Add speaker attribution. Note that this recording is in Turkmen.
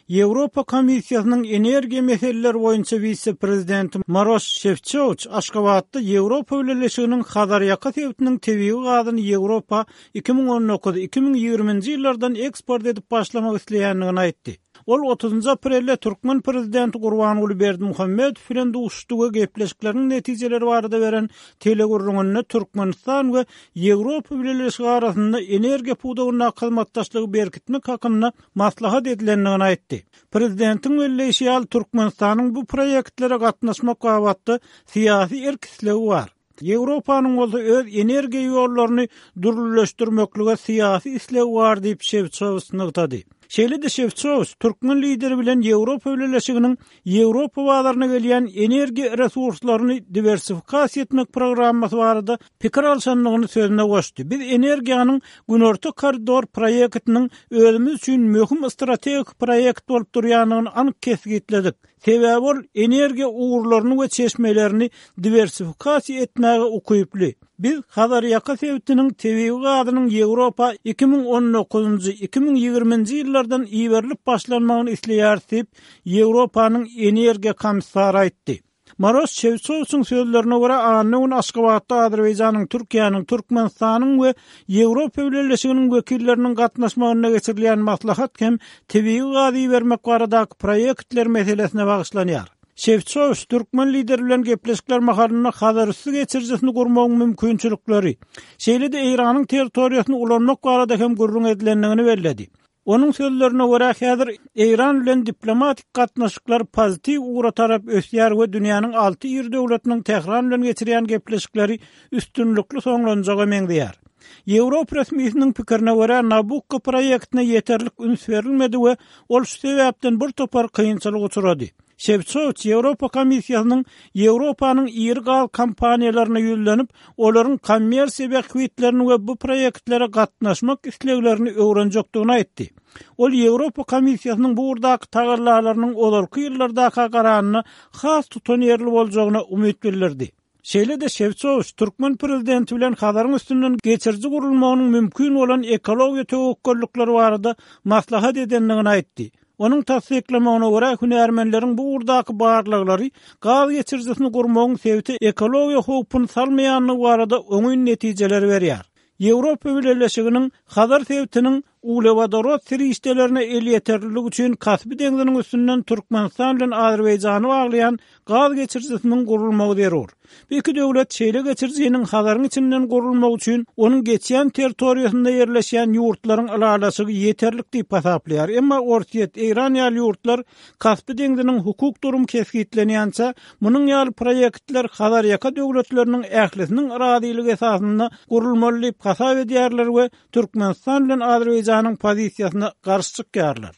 Speaker 1: Ýewropa Komissiýasynyň energiýa meseleleri boýunça wise-prezidenti Maroş Şefçowiç Aşgabatda Ýewropa Bileleşiginiň Hazarýaka sebitiniň tebigy gazyny Ýewropa 2019, 2020-nji ýyllardan eksport edip başlamak isleýändigini aýtdy. Ol otuzynjy aprelde türkmen prezidenti Gurbanguly Berdimuhamedow bilen duşuşdy we gepleşikleriň netijeleri barada beren telegürrüňinde Türkmenistan we Ýewropa Bileleşigi arasynda energiýa pudagyndaky hyzmatdaşlygy berkitmek hakynda maslahat edilendigini aýtdy. Prezidentiň belleýşi ýaly, Türkmenistanyň bu proýektlere gatnaşmak babatda syýasy erk-islegi bar. Ýewropanyň bolsa öz energiýa ýollaryny dürlüleşdirmeklige syýasy islegi bar diýip, Şewçowiç nygtady. Şeýle-de Şewçowiç türkmen lideri bilen Ýewropa Bileleşiginiň Ýewropa bazaryna gelýän energiýa resurslaryny diwersifikasiýa etmek programmasy barada pikir alşandygyny sözüne goşdy, Biz energiýanyň Günorta koridor proýektiniň özümiz üçin möhüm strategik proýekt bolup durýandygyny anyk kesgitledik. Sebäbi ol energiýa ugurlaryny we çeşmelerini diwersifikasiýa etmäge ukyply. Biz Hazarýaka sebitiniň tebigy gazynyň Ýewropa 2019-njy, 2020-nji ýyllardan iberilip başlanmagyny isleýäris diýip, Ýewropanyň energiýa komissary aýtdy. Maros Şewçowiçiň sözlerine görä, anna güni Aşgabatda Azerbaýjanyň, Türkiýäniň, Türkmenistanyň we Ýewropa Bileleşiginiň wekilleriniň gatnaşmagynda geçirilýän maslahat hem tebigy gaz ibermek baradaky proýektler meselesine bagyşlanýar. Şewçowiç türkmen lideri bilen gepleşikler mahalynda Hazarüsti geçirijisini gurmagyň mümkinçilikleri, şeýle-de Eýranyň territoriýasyny ulanmak barada hem gürrüň edilendigini belledi. Onuň sözlerine görä, häzir Eýran bilen diplomatik gatnaşyklar pozitiw ugra tarap ösýär we dünýäniň alty iri döwletiniň Tähran bilen geçirýän gepleşikleri üstünlikli soňlanjaga meňzeýär. Ýewropa resmisiniň pikirine görä, Nabukko proýektine ýeterlik üns berilmedi we ol şu sebäpden bir topar kynçylyga uçrady. Şewçowiç Ýewropa Komissiýasynyň Ýewropanyň iri gaz kompaniýalaryna ýüzlenip, olaryň kommersiýa bähbitlerini we bu proýektlere gatnaşmak isleglerini öwrenjekdigini aýtdy. Ol Ýewropa Komissiýasynyň bu ugurdaky tagallalarynyň ozalky ýyllardaka garanda has tutanýerli boljagyna umyt bildirdi. Şeýle-de Şewçowiç türkmen prezidenti bilen Hazaryň üstünden geçiriji gurulmagynyň mümkin bolan ekologiýa töwekgellikleri barada maslahat edendigini aýtdy. Onuň tassyklamagyna görä, hünärmenleriň bu ugurdaky barlaglary gaz geçirijisini gurmagyň sebite ekologiýa howpuny salmaýandygy barada oňyn netijeleri berýär. Ýewropa Bileleşiginiň Hazar sebitiniň uglewodorod serişdelerine elýeterlilik üçin Kaspi deňziniň üstünden Türkmenistan bilen Azerbaýjany baglaýan gaz geçirijisiniň gurulmagy zerur. Bu iki döwlet şeýle geçirijiniň Hazaryň içinden gurulmagy üçin onuň geçýän territoriýasynda ýerleşýän ýurtlaryň ylalaşygy ýeterlik diýip hasaplaýar. Emma Orsýet, Eýran ýaly ýurtlar Kaspi deňziniň hukuk durumy kesgitlenýänçä, munuň ýaly proýektler Hazarýaka döwletleriniň ählisiniň razylygy esasynda gurulmaly diýip hasap edýärler we Türkmenistan bilen Azerbaýjanyň pozisiýasyna garşy çykýarlar.